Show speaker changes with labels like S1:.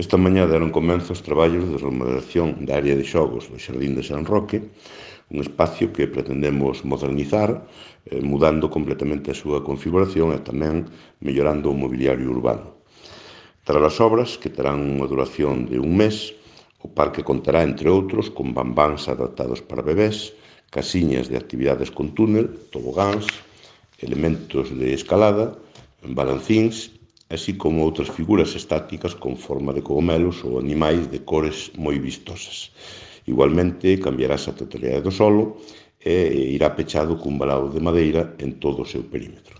S1: Esta mañá deron comezo os traballos de remodelación da área de xogos do Xardín de San Roque, un espacio que pretendemos modernizar, mudando completamente a súa configuración e tamén mellorando o mobiliario urbano. Tras as obras, que terán unha duración de un mes, o parque contará, entre outros, con bambáns adaptados para bebés, casiñas de actividades con túnel, tobogáns, elementos de escalada, balancíns, así como outras figuras estáticas con forma de cogomelos ou animais de cores moi vistosas. Igualmente, cambiarase a totalidade do solo e irá pechado cun valado de madeira en todo o seu perímetro.